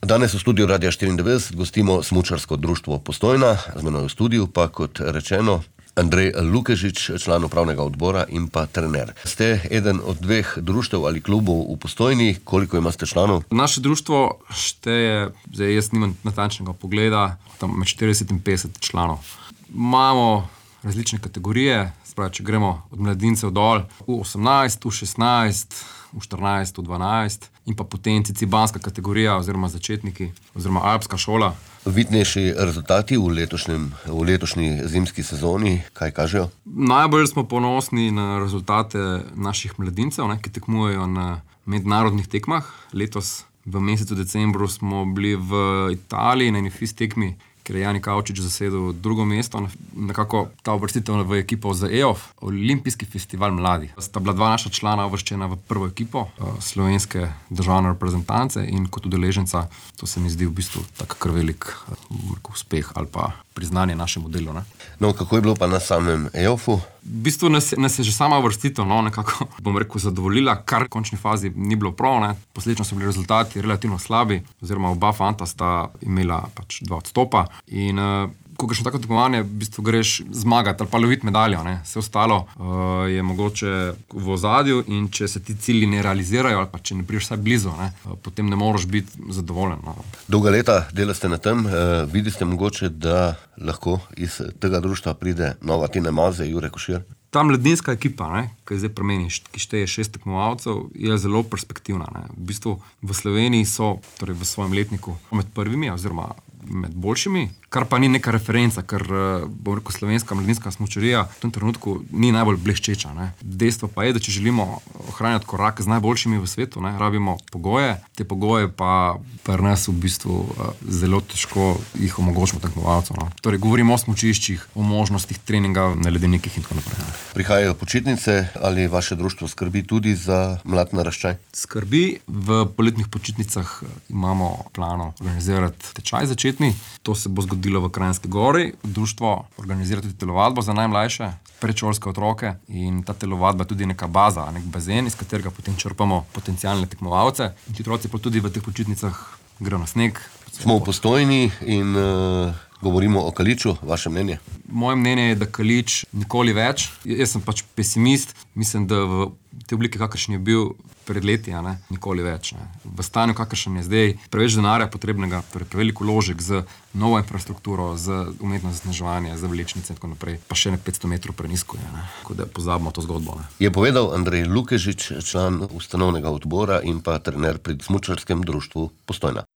Danes v studiu Radia 94 gostimo Smučarsko društvo Postojna, z menoj v studiu pa, kot rečeno, Andrej Lukežič, član upravnega odbora in pa trener. Ste eden od dveh društev ali klubov v Postojni. Koliko imate članov? Naše društvo šteje, zdaj jaz nimam natančnega pogleda, tam med 40 in 50 članov. Imamo različne kategorije, spravi, če gremo od mladincev dol, U18, U16, U14, U12 in pa potem cibanska kategorija oziroma začetniki oziroma alpska šola. Vidnejši rezultati v letošnji zimski sezoni, kaj kažejo? Najbolj smo ponosni na rezultate naših mladincev, ki tekmujejo na mednarodnih tekmah. Letos v mesecu decembru smo bili v Italiji na eni FIS tekmi, ker je Jani Kavčič zasedel drugo mesto. Nekako ta uvrstitev v ekipo za EOF, Olimpijski festival mladih. Sta bila dva naša člana uvrščena v prvo ekipo slovenske državne reprezentance in kot udeleženca, to se mi zdi v bistvu tak kar velik uspeh ali pa priznanje našemu delu. No, kako je bilo pa na samem EOF-u? V bistvu nas je že sama uvrstitev, nekako, zadovoljila, kar v končni fazi ni bilo prav. Posledično so bili rezultati relativno slabi, oziroma oba fanta sta imela pač 2 odstopa. In ko greš na tako tekmovanje, v bistvu greš zmagati ali pa loviti medaljo. Vse ostalo je mogoče v ozadju in če se ti cilji ne realizirajo ali pa če ne prideš vsaj blizu, potem ne moreš biti zadovoljen. Dolga leta delate na tem, vidite mogoče, da lahko iz tega društva pride nova Tina Maze, Jure Košir? Ta mladinska ekipa, ki je zdaj pri meni, ki šteje 6 tekmovalcev, je zelo perspektivna. V bistvu v Sloveniji so, torej v svojem letniku, med prvimi oziroma med boljšimi, kar pa ni neka referenca, ker slovenska mladinska smučarija v tem trenutku ni najbolj bleščeča. Dejstvo pa je, da če želimo ohranjati korak z najboljšimi v svetu, rabimo pogoje, te pogoje pa pri nas v bistvu zelo težko jih omogočimo tekmovalcev. Torej govorimo o smučiščih, o možnostih treninga na ledenikih in tako naprej. Prihajajo počitnice, ali vaše društvo skrbi tudi za mlad naraščaj? Skrbi. V poletnih počitnicah imamo plano organizirati tečaj začetni. To se bo zgodilo v Kranjski Gori. Društvo organizira tudi telovadbo za najmlajše, predšolske otroke in ta telovadba je tudi neka baza, nek bazen, iz katerega potem črpamo potencialne tekmovalce. In ti otroci pa tudi v teh počitnicah grejo na sneg. Smo v Postojni in govorimo o Kaliču. Vaše mnenje? Moje mnenje je, da Kalič nikoli več. Jaz sem pač pesimist. Mislim, da v te oblike, kakršen je bil pred leti, nikoli več. V stanju, kakršen je zdaj, preveč denarja potrebnega, prevelik vložek z novo infrastrukturo, z umetno zasneževanje, z vlečnice in tako naprej, pa še 500 metrov prenizko je. Tako da pozabimo to zgodbo. Je povedal Andrej Lukežič, član ustanovnega odbora in pa trener pri Smučarskem društvu Postojna.